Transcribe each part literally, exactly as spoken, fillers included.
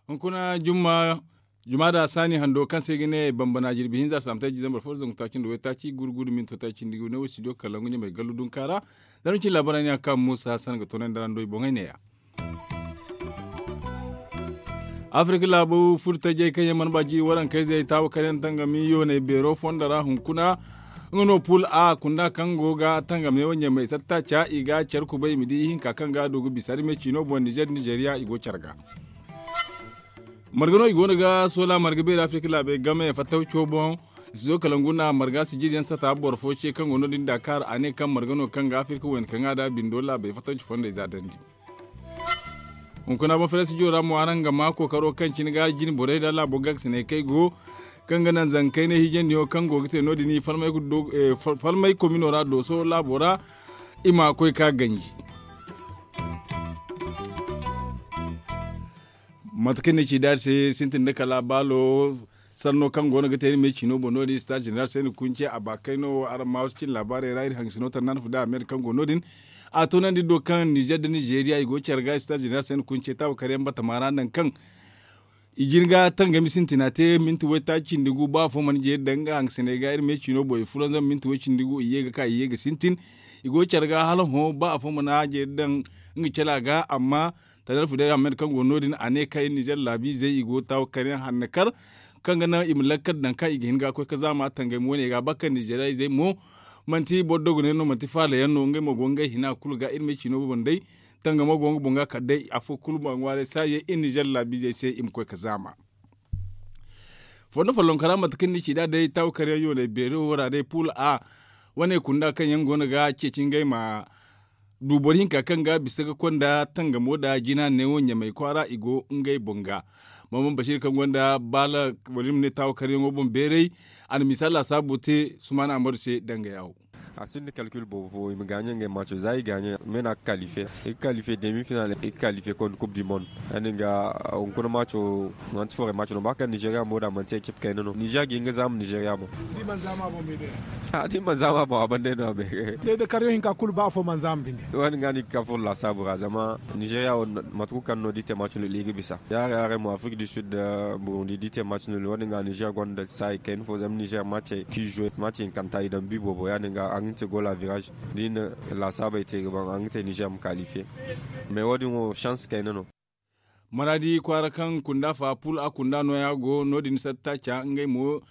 Hunkuna jumma juma da saani hando kaŋ se i ga ne bambana jirbi hinza salaamataray jizambar fo da zangu taaci nda waytaaci guru guru minto taaci nda i ga ne wo studio kalangu ɲamay gallu dunka ra. Zama cin laabaray ne a ga ka muusa hassan ga toonandi araŋ do i boŋey ne- ya. Afirka laabu furo tajey kaŋ yaŋ mana ba jiiri warankayzey taawa kar yaŋ tangami yooney beero fondo ra hunkuna. Nga no pul a kunda kaŋ go ga tangam ne wo ɲamay satta ca i ga care kubay i ma di ihinka kaŋ ga a du ga bisa rime ciino boŋ nizer nizeriya i go care ga. Marga no i go no ga soola marga beeri afirka laabey game fattaw co boŋ. Sizo kala ngu na marga sijiri yaŋ sata boro fo ce kaŋ go no- din dakar a ne kaŋ marga no kaŋ ga afirka wayna kaŋ a da bindo laabey fattaw ci fondey za dandi. Hunkuna boŋ fere sijo ra mo araŋ ga ma kookaro kaŋ cine ga jine borey da laabo gagsiney kaŋ ay go kaŋ ga naŋ zankayne hijandiyo kaŋ go ga te no- din i falmay komino ra dooso laabo ra. I ma koy ka ganji. Mate kaŋ ni ci daari se sintin nda kala baalo sanno kaŋ go no ga te iri me ciino boŋ no- din stage general se ni kunce a ba kayno wo araŋ ma wasu cin laabaarey ra iri hangasino tannaan fu da ameer kaŋ go no- din. A toonandi do kaŋ nizer nda nizeriya i go care ga stage general se ni kunce taawa kar yaŋ batama ra nangu kaŋ i jin ga tangami sintina te minti waytaaci cindi gu ba afo mana jeeri daŋ nga hangasiney ga iri me ciino boŋ i fulanzam minti way cindi gu i ye ga ka i ye ga sintin. I go care ga hala hõ ba afo mana jeeri daŋ nga cala ga amma tanal fudayra ahmed kaŋ go no- din a ne kaŋ iri nizer laabiizey i go taawa kar yaŋ hanna kar kaŋ ga naŋ i ma lakkal daŋ kaŋ i ga hin ga koy ga zaama tangami wane ga ba kaŋ nizeriya izey mo manti boro dogoney no manti faala yaŋ no ngey mo go ngey hina kulu ga iri ma ay ciino boŋ day. Tangamo go nga boŋ ga kala day afo kulu ma ŋwaaray saayey iri nizer laabiizey se i ma koy ga zaama. Fondo follonkara mate kaŋ ni ci nd'a day taawa kar yaŋ yooney beero wo ra day pul a wane kunda kaŋ yaŋ go no ga ceeci ngey ma du boro hinka kaŋ ga bisa ga konda tangamo nda jina neewo ɲamay kwaara i go ngey boŋ ga. Maman basiir kaŋ gonda baala wala iri ma ne taawa kar yaŋo boŋ beeray a na misa laasaabu te sumaana amadu se danga yaawo. A sinda kalkil boobo fo i ma gaaɲe ngey maaco za i gaaɲe me no a ga kalife i ga kalife demi final i ga kalife konda kub du mond. Ya- din ga hunkuna maaco manti foore maaco no ba kaŋ nizeriya mo da manti ekip kayna no nizeriya ga hin ga zaama nizeriya boŋ. Da i mana zaama boŋ a banda no a bay. Day da karyo hinka kulu ba afo mana zaama binde. Wo- din ga no i ga ka furo laasaabu ra zama nizeriya wo mate kulu kaŋ no da i te maaco no i ga bisa ya- din mo afrik du sud burundi da i te maaco no wo- din ga nizer gonda saayi kayna fo zama nizer maace k'i zwe maace hinkanta i daŋ bi boobo ya- din ga a ga ni te gola virage da i na laasaabey te ga ban a ga ni te nizer ma kalife. Mais wo- din wo chance kayna no. Maraadi kwaara kaŋ kunda fa pul a kunda nooya go no- din satta ca ngey mo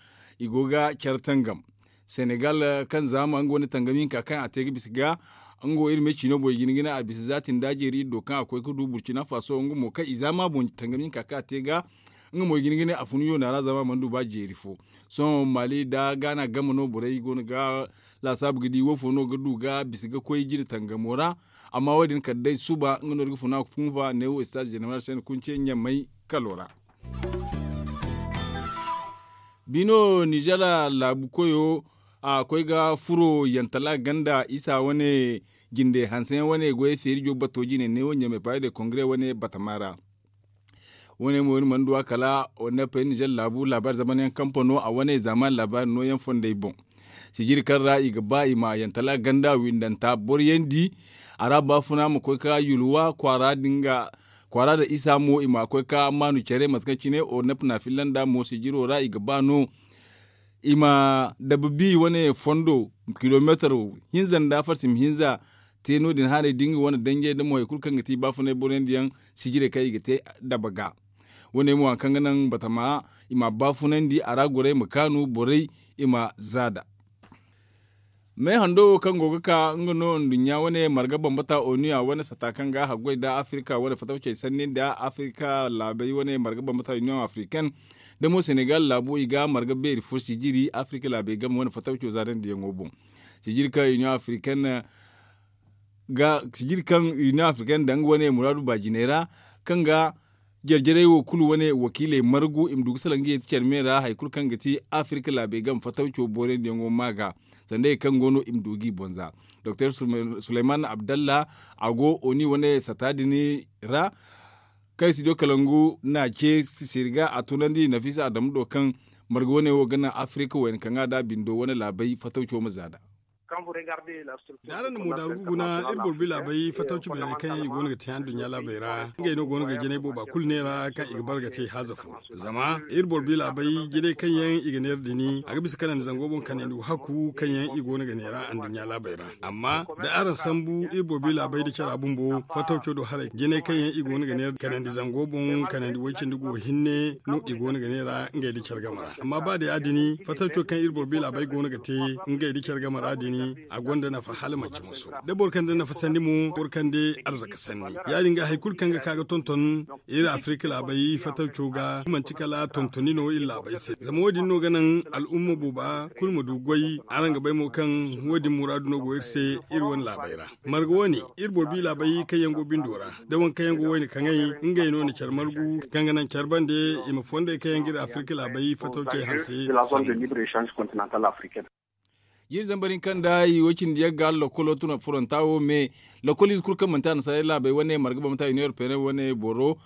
i go ga care tangam. Senegal kaŋ zaama nga wane tangam hinka kaŋ a te ga bisa ga nga wo iri me ciino boŋ i ga hin ga ne a bisa zaati nda jeeri iri do kaŋ a koy ga du burcina faso nga mo kaŋ i zaama boŋ tangam hinka kaŋ a te ga nga mo i ga hin ga ne a fun yoona ra zama a mana du ba jeeri fo. Sohõ maali nda gaana game no borey go no ga laasaabu ga di woofo no ga du ga bisa ga koy jine tangamo ra. Amma wo- din kala day suba nga no iri ga funa ga funfa neewo stage general se ni kunce ɲamay kalo ra. Bino nizer laabu koyo a koy ga furo yantala ganda isa wane jinde hanse yaŋ wane goyey feeri jow bato jine neewo ɲamay paris de kongre wane batama ra. Wane mo iri mana du a kala wane pay nizer laabu laabaari zamana yaŋ kampano a wane zaamaani laabaari nooyaŋ fondey boŋ. Sijiri kaŋ ra i ga ba i ma yantala ganda windanta boroyandi a ra baafuna ma koy ka yulwa kwaara da isa mo i ma koy ka maanu care mate kaŋ cine ornep na fillanda mo sijiro ra i ga ba no. I ma dababi wane fondo kilometar hinza nda farsim hinza te no- din haray da nga wane danjey da mo hari kulu kaŋ ga ti baafunay boroyandi yaŋ sijirey kaŋ i ga te daba ga. Wane mo hari kaŋ ga naŋ batama i ma baafunandi a ra gorey ma kaanu borey i ma zaada. Me hando wo kaŋ go ga ka nga no nduɲɲa wane marga bambata onu a wane sata kaŋ ga haggoy nda afirka wane fatawcey sanni nda afirka laabey wane marga bambata union africaine da mo senegal laabo i ga marga beeri fo sijiri afirka laabey game wane fatawco zaadandi yaŋo boŋ. Sijiri kaŋ union africaine ga sijiri kaŋ union africaine daŋ wane muraadu baajiney ra kaŋ ga jarjarey wo kulu wane wakiiley margu i ma du ga salaŋ ga yeeti care me ra hari kulu kaŋ ga ti afirka laabey game fatawco boorandi yaŋo ma ga sanda ye kaŋ go no i ma du g'i boŋ za. Doktor suleyman abdallah a go oni wane sata din ra kaŋ ay si do kalangu na ce sisiri ga a tunandi nafisa adamu do kaŋ Marga wane wo ga naŋ afirika wayna kaŋ a da bindo wane laabey fatawco ma za nd'a. Da araŋ na moodaru ga guna iri boro bi laabey fatawci beeray kaŋ yaŋ i go no ga te anduɲɲa laabey ra ngey no go no ga jinay booba kulu neera kaŋ i ga bare ga te haaza fo. Zama iri boro bi laabey jinay kaŋ yaŋ i ga neera dini a ga bisa kanandi zango boŋ kanandi wahakku kaŋ yaŋ i go no ga neera anduɲɲa laabey ra. Amma da araŋ sambu iri boro bi laabey da cara bumbo fatawco do haray jinay kaŋ yaŋ i go no ga neera kanandi zango boŋ kanandi way cindi go hinne no i go no ga neera ngey da care game ra amma ba day a dini fatawco kaŋ iri boro bi laabey go no ga te ngey da care game ra dini a gonda nafa hala manci musu da boro kaŋ da nafa sanni mo boro kaŋ da arzaka sanni. Ya- din ga hari kulu kaŋ ga ka ga tonton iri afirika laabey fatawco ga manti kala tontoni no iri laabey se zama wo- din no ga naŋ al'umma booba kulu ma du goy. Araŋ ga bay mo kaŋ wo- din muraadu no go iri se iri wane laabey ra. Marga wane iri boro bi laabey kaŋ yaŋ go bindo ra da waŋ kaŋ yaŋ go wayna kaŋay ngey no na care margu kaŋ ga naŋ care bande i ma fondey kaŋ yaŋ ga iri afirika laabey fatawcey hanse. Jiri zambar hinka nda i wo cindi yagga hala lokolo tuna furanta wo me lokoliize kulu kaŋ manti annasaarey laabey wane marga bambata union européenne wane boro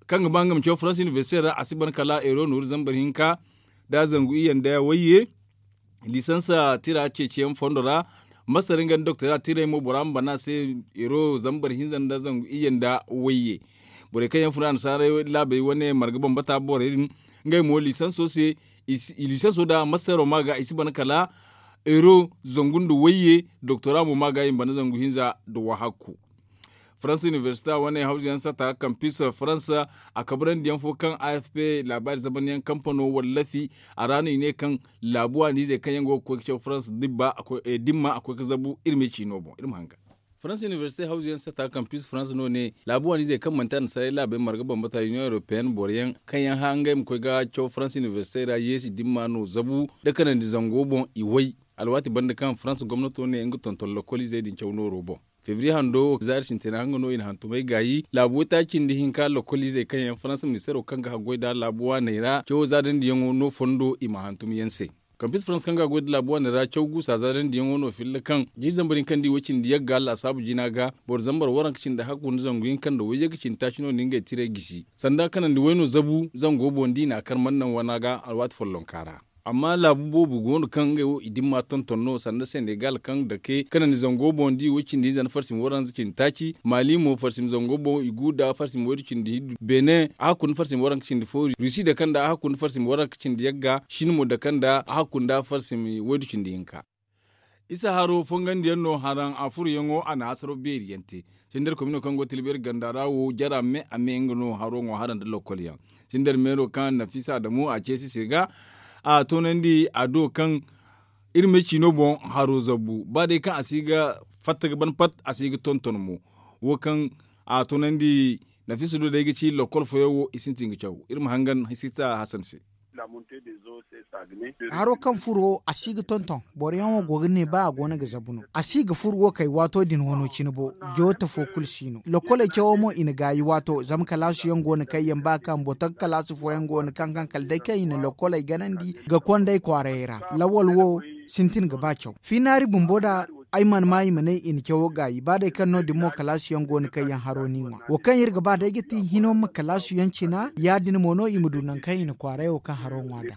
kaŋ ga ba nga ma caw farans inibersite ra a si ban kala euro nooru zambar hinka da zangu iyye nda wayye. Lisansa tira ceeciyaŋ fondo ra masar nga nda doktora tirey mo bora ma bana se euro zambar hinza nda zangu iyye nda wayye. Borey kaŋ yaŋ funa annasaarey laabey wane marga bambata borey din ngey mo lisanso se. Lisanso da masaro ma ga i si bana kala euro zangu nda wayye doktora mo ma ga i ma bana zangu hinza nda wahakku. Farans inibersita wane hawzuyaŋ sata kampis farans a kabrandi yaŋ fo kaŋ afp laabaari zabanyaŋ kampano wallafi a ra no i ne kaŋ laabu waani izey kaŋ yaŋ go ga koy ga caw farans dimma a koy ga zabu iri ma i ciino boŋ iri ma hanga. Farans inibersite hawzuyaŋ sata kampis farans no ne laabu waani izey kaŋ manti annasaarey laabey marga bambata union européenne boro yaŋ kaŋ yaŋ hã ngey ma koy ga caw farans inibersite ra yeesi dimma no zabu nda kanandi zango boŋ i way. Alwaati banda kaŋ farans gomnato ne nga tonton lokoliizey din caw nooro boŋ. Febriye hando wo zaari sintina nga no i na hantumey gaayi laabu waytaaci nda hinka lokoliizey kaŋ yaŋ farans ministeero kaŋ ga haggoy nd'a laabu waaney ra cawo zaadandiyaŋo no fondo i ma hantum yaŋ se. Kampis farans kaŋ ga goy nda laabu waaney ra caw guusa zaadandiyaŋo no filla kaŋ jiiri zambar hinka nda i way cindi yagga laasaabu jina ga boro zambar waranka cindi hakku nda zangu hinka nda wayye ga cindi taaci no na ngey tirey gisi sanda kanandi way no zabu zango boŋ da i n'a kar mana naŋ wana ga alwaati follonka ra. Amma laabu boobo go no kaŋ ngey wo i dimma tonton no sanda senegal kaŋ dake kanandi zango boŋ da i wo cindi hinza nda farsima waranza cindi taaci maali mo farsima zango boŋ i gu nda farsima waydu cindi hiddu benin a hakku nda farsima waranka cindi fo rusi dake nda a hakku nda farsima waranka cindi yagga shin mo dake nda a hakku nda farsima waydu cindi hinka. Isa haro fongandiyaŋ no haraŋ a furuyaŋo a na hasaro beeri yaŋ te. Sindar komino kaŋ go tilbeeri ganda ra wo jara me a me nga no haro ŋwa haraŋ nda lokol yaŋ. Sindar meero kaŋ nafisa adamu a ceesi se ga a toonandi a do kaŋ iri me ciino boŋ haro zabbu ba day kaŋ a si ga fatta ga ban pat a si ga tonton mo. Wo kaŋ a toonandi nafisa do day ga ci lokol fooyaŋ wo i sintin ga caw iri ma hangan hisita hasan se. Haro kaŋ furo a si ga tonton boro yaŋ wo go ga ne ba a go no ga zabu no a si ga furo wo kay waato din wano cine bo. Joota fo kulu si no lokoley cawo mo i na gaayi waato zama kalaasu yaŋ go no kaŋ yaŋ ba kaŋ boto ga kalaasu fooyaŋ go no kaŋ kaŋ kala day kaŋ i na lokoley ganandi ga kondey kwaarayey ra. Lawal wo sintin ga ba caw fiinaari bumbo da ay mana ma i ma ne i na cawo gaayi ba day kaŋ no- din mo kalaasiyaŋ go no kaŋ yaŋ haro no i ŋwa wo kaŋ iri ga ba day ga ti hino ma kalaasiyaŋ cina ya- din mo no i ma du nangu kaŋ i na kwaaray wo kaŋ haro ŋwa daŋ.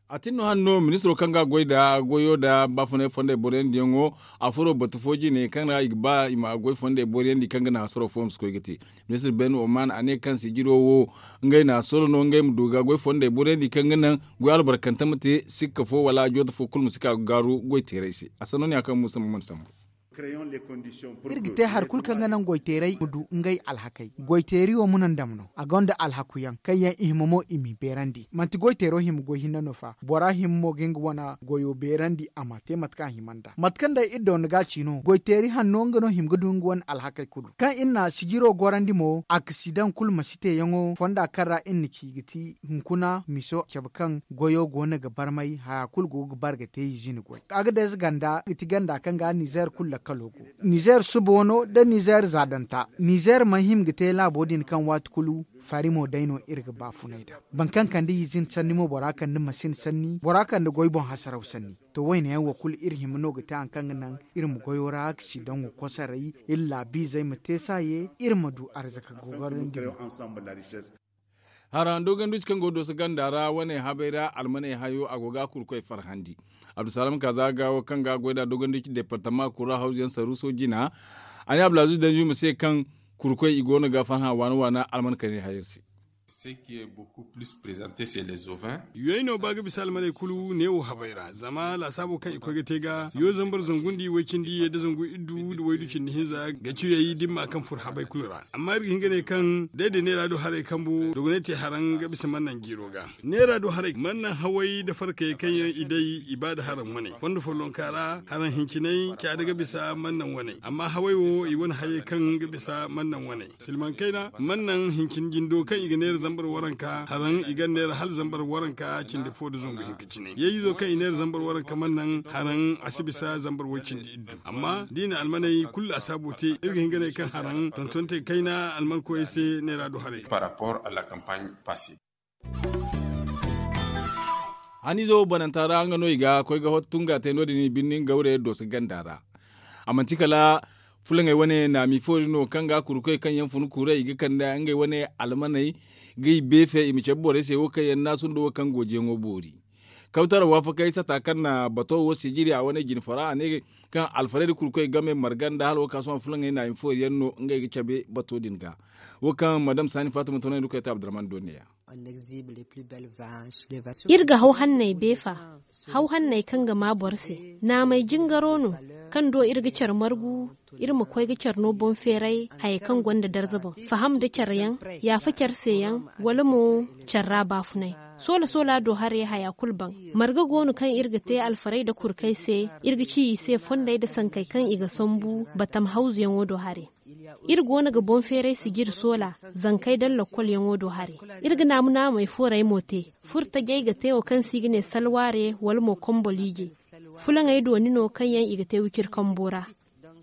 A tin no hane no ministiro kaŋ ga goy nda goyo nda baafunay fondey boroyandiyaŋo a furo batu fo jine kaŋ ra i ga ba i ma goy fondey boroyandi kaŋ ga naŋ hasaro fo ma si koy ga te. Ministir ben oman a ne kaŋ sijiro wo ngey na soro no ngey ma du ga goy fondey borandi kaŋ ga naŋ goy albarkante ma te sikka fo wala jooto fo kulu ma si ka ga gaaru goy teeray se. A sanno ne a kaŋ musa ma mana sambu. Iri ga te hari kulu kaŋ ga naŋ goy teeray ma du ngey alhakey goy teeri wo muna ndam no a gonda alhaku yaŋ kaŋ yaŋ i hima mo i m'i beerandi manti goy teero hima goy hinne no fa bora hima mo ga nga wane goyo beerandi a ma te mate kaŋ a hima nd'a mate kaŋ day iri doona ga ci no goy teeri hanno nga no hima ga du nga wane alhakey kulu kaŋ iri na sijiro gorandi mo aksidaŋ kulu ma si teeyaŋo fonda kaŋ ra iri na ci ga ti hunkuna miso cabe kaŋ goyo go no ga barmay haya kulu go ga bare ga te i zina goy agadez ganda ga ti ganda kaŋ ga nizer kulu. Kalo go nizeer suba wano nda nizeer zaadanta nizeer mana hima ga te laabo din kaŋ waati kulu fari mo day no iri ga baafunay nd'a. Boro kaŋ kande izin sanni mo bora kande masin sanni bora kande goy boŋ hasaraw sanni. To wayne yaŋ wo kulu iri hima no ga te hari kaŋ ga naŋ iri ma goyo ra aksidaŋo kosoray iri laabiizey ma te saaye iri ma du arzaka gogarandi. Haraŋ dogonduci kaŋ go dooso ganda ra wane habay ra almaney hayo a go ga kurkoy farhandi. Abdusalam kaza ga wo kaŋ ga goy nd'a dogonduci departama kura hawzu yaŋ saruuso jina. A ne abdulaziz danju ma se kaŋ kurkoy i go no ga farhã waana waana alman kayna hayo se. Yoy no ba ga bisa almaney kulu neewo habay ra zama laasaabo kaŋ i koy ga te ga yo zambar zangu nda i way cindi ye nda zangu iddu nda waydu cindi hinza ga ciyey dimma kaŋ fur habay kulu ra. Amma iri ga hin ga ne kaŋ day da neera do haray kambu dogonay te haraŋ ga bisa mannaŋ jiiro ga. Neera do haray mannaŋ haway nda farkayey kaŋ yaŋ i day i ba nda haraŋ wane fondo follonka ra haraŋ hincinay caada ga bisa mannaŋ wane amma haway wo i wane hayey kaŋ ga bisa mannaŋ wane. Silmaŋ kayna mannaŋ hincin jindo kaŋ i ga neera zambar waranka haraŋ i ga neera hala zambar waranka cindi fo nda zangu hinka cine yeeyizo kaŋ i neera zambar waranka mannaŋ haraŋ a si bisa zambar way cindi iddu. Amma da i na almaney kulu laasaabo te iri ga hin ga ne kaŋ haraŋ tontonte kayna almankoyey se neera do haray. Haniizo bananta ra nga no i ga koy ga hottu nga te no- din birni gawre dooso ganda ra. A manti kala fulaŋey wane naami foori no kaŋ ga kurkoy kaŋ yaŋ fun kuuray i ga kande ngey wane almaney ga i beefe i ma cabe borey se wo kaŋ yaŋ naasu nda wo kaŋ goojiyaŋo boori. Kawtara waafakey sata kaŋ na bato wo sijiri a wane jine fora a ne kaŋ alfarey da kurkoy game marga nda hala wo kaŋ sohõ fulaŋey naami foori yaŋ no ngey ga cabe bato din ga. Wo kaŋ madam saani faatuma toonandi koy te abdurahman do neeya. Iri ga haw hanney beefa haw hanney kaŋ ga maa boro se. Naamey jingaro no kaŋ do iri ga care margu iri ma koy ga care no boŋ feeray hayey kaŋ gonda darza boŋ faham nda care yaŋ yaafa care se yaŋ wala mo care ra baafunay. Soola soola do haray haya kulu baŋ. Marga go no kaŋ iri ga te alfarey nda kurkey se iri ga ci i se fondey nda sankey kaŋ i ga sambu batam hawzuyaŋo do haray. Iri go no ga boŋ feeray sijiri soola zankey daŋ lokkolyaŋo do haray. Iri ga naamu naamey fooray mo te. Furo tajey ga te wo kaŋ se i ga ne salwaare wala mo komboliije. Fulaŋey dooni no kaŋ yaŋ i ga te wiciri kambo ra.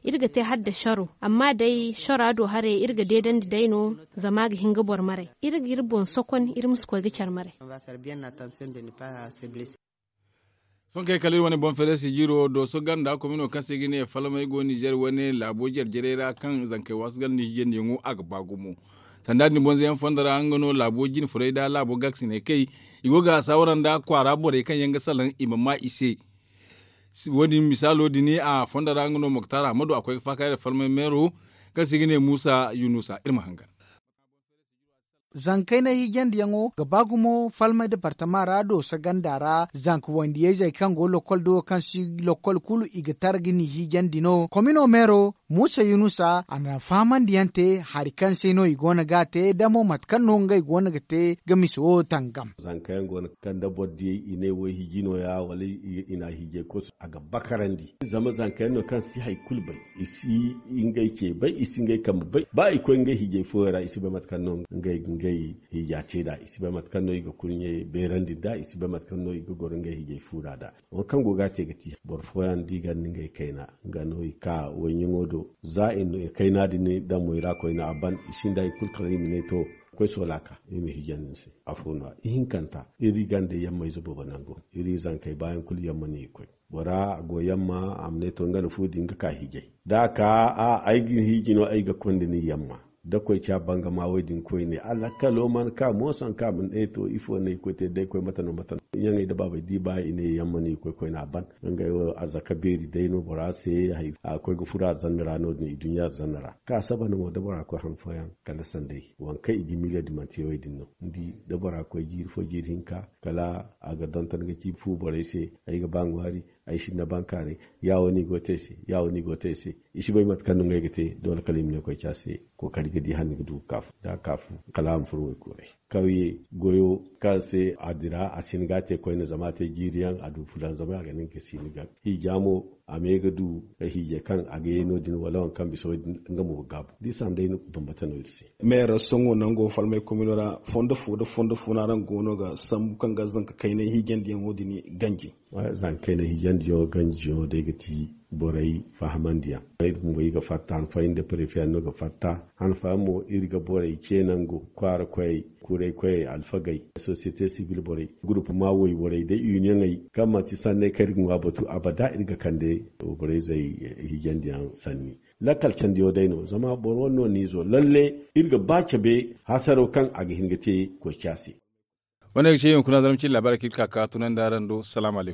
Iri ga te hala nda saro amma day sara do haray iri ga deedandi day no. Zama a ga hin ga boro maray iri ga iri boŋ sokon iri ma si koy ga care maray. Sohõ kay kala iri wane boŋ feere sijiro dooso ganda komino kaŋ se i ga ne falmey go nizer wane laabo jare-jarey ra kaŋ zankey waasu ganda ni hijandiyaŋo a ga ba gumo. Sanda din boŋ zeyaŋ fondo ra nga no laabo jine furey nda laabo gaakisiney kay. I go ga saawara nda kwaara borey kaŋ yaŋ ga salaŋ i ma maa i se. Wo- din misaalo din a fondo ra nga no moktar ahmadu a koy ga faakay nda falmey meero kaŋ se i ga ne muusa yunusa iri ma hangan. Zankey na hiijandiyaŋo ga ba gumo falmey departama ra dooso ganda ra zanka wandiyey zey kaŋ go lokkol do kaŋ si lokkol kulu i ga tara ga ni hiijandi no komino meero. Muusa yunusa a na fahamandiyaŋ te hari kaŋ se no i go no ga a te damo mate kaŋ no ngey go no ga te ga misa wo tangam. Zanka yaŋ go no kaŋ da boro diyey i ne wo hiiji no- ya wala i na hiijay kosu a ga bakarandi. Zama zanka yaŋ no kaŋ si hari kulu bay, i si ngey ce bay, i si ngey kambe bay. Ba i koy ngey hiijay fooyaŋ ra i si bay mate kaŋ no ngey ga ngey hiija te nd'a, i si bay mate kaŋ no i ga kurɲe beerandi nd'a, i si bay mate kaŋ no i ga goro ngey hiijay fuura nd'a. Wo kaŋ go ga a te ga ti boro fooyaŋ da i ganda ngey kayna, nga no i ka wayɲaŋo do. Za i na kayna din daŋ mo i ra koyne a ban, i sinda hari kulu kala i ma ne to, koy soola ka i ma hiijandi ni se. Afo no- ya ihinkanta iri ganda yamma ize boobo nango. Iri zankey baayaŋ kulu yamma no i ga koy. Bora a go yamma a ma ne to nga na fu din ga ka hiijay. Da a ka a ay ga ni hiiji no ay ga konda ni yamma. Da koy ca bangama wo- din koyne a lakkalo mana ka mooso hari kaŋ a ma ne to ifo no ay ga koy te da ay koy mate no mate no? Ɲaŋey da baabey da i ba i ne yamma no i ga koy koyne a ban. Ngey wo arzaka beeri day no bora se. A ga koy ga furo arzanna ra no- din iduɲɲa arzanna ra ka saba no mo da bora koy han fooyaŋ kala sanday waŋ kaŋ i ga miila di manti yawey din no. Ni di da bora koy jiiri fo jiiri hinka kala a ga donton ga ci fu borey se. Ay ga ba ŋwaari, ay sinda bankaaray. Ya wo no i go te ay se, ya wo no i go te ay se. I si bay mate kaŋ no ngey ga te doole kala i ma ne koy ci a se. Kookari ga di hala ni ga du ga ka fu da a ka fu kala a ma furo waykuuray. Kawye goyo kaŋ se a dira a si hin ga a te koyne zama a te jiiri yaŋ a du fulanzamay a ga ne nga si hin ga hiija mo. A me ga du hiijay kaŋ a ga ye no- din wala waŋ kaŋ bisa wo- din nga mo ga gaabu da i sanda ay no bambata no iri se. Meera sohõ nango falmay komino ra fondo fo nda fondo fo no araŋ go no ga sambu kaŋ ga zanka kaynay hiijandiyaŋo din ganji. Zanka kaynay hiijandiyaŋo ganjiyaŋo day ga ti Borey fahamandiyaŋ, iri bumbo iri ga fatta han fooyaŋ nda prefe yaŋ no ga fatta. Han fooyaŋ mo iri ga borey ce nangu kwaara koyey, kuray koyey, alfagey, sosiyete sibil borey, gurupuma woy borey da uniyoŋey kaŋ manti sanney kaŋ iri ga ŋwa batu abada iri ga kande borey zey hijandiyaŋ sanni. Lakkal candiyo day no zama boro wane no ni zo lalle iri ga ba cabe hasaro kaŋ a ga hin ga te koy ca se. Wane ga ce yaŋ kuna zarma cin labaari kaŋ iri ga ka ka tunandi araŋ do salaam alaikum.